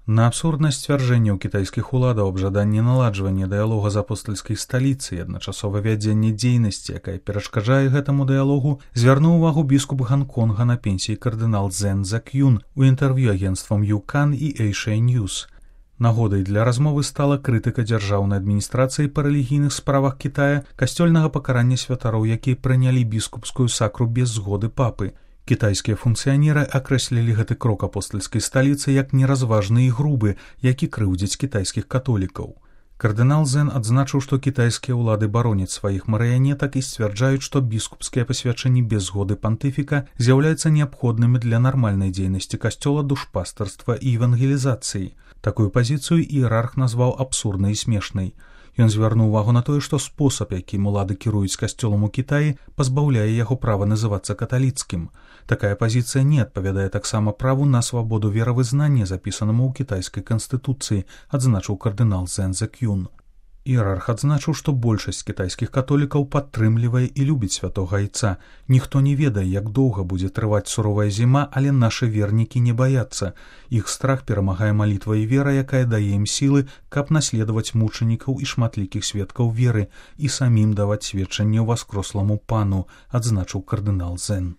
На абсурднасць сцвярджэнняў кітайскіх уладаў аб жаданні наладжвання дыялога з апостальскай сталіцы і адначасова вядзення дзейнасці, якая перашкаджае гэтаму дыялогу, звярнуў увагу біскуп Ганконга на пенсіі кардынал Цзэн Цзэк'юн у інтэрв'ю агенцтвам Юкан і Эйшэй Ньюс. Нагодай для размовы стала крытыка дзяржаўнай адміністрацыі па рэлігійных справах Кітая касцёльнага пакарання святароў, якія прынялі біскупскую сакру без згоды папы. Кітайскія функцыянеры акрэслілі гэты крок апостальскай сталіцы як неразважны і грубы, які крыўдзіць кітайскіх католікаў. Кардынал Цзэн адзначыў, што кітайскія ўлады бароняць сваіх марыянетак і сцвярджаюць, што біскупскія пасвячэнні без згоды пантыфіка з'яўляюцца неабходнымі для нармальнай дзейнасці касцёла, душпастарства і евангелізацыі. Такую пазіцыю іерарх назваў абсурднай і смешнай. Ён звярнуў увагу на тое, што спосаб, якім улады кіруюць касцёлам у Кітаі, пазбаўляе яго права называцца каталіцкім. Такая пазіцыя не адпавядае таксама праву на свабоду веравызнання, запісанаму ў кітайскай канстытуцыі, адзначыў кардынал Цзэн Цзэк'юн. Іерарх адзначыў, што большасць кітайскіх католікаў падтрымлівае і любіць святога айца. Ніхто не ведае, як доўга будзе трываць суровая зіма, але нашы вернікі не баяцца. Іх страх перамагае малітва і вера, якая дае ім сілы, каб наследаваць мучанікаў і шматлікіх сведкаў веры і самім даваць сведчанне ўваскросламу пану, адзначыў кардынал Цзэн.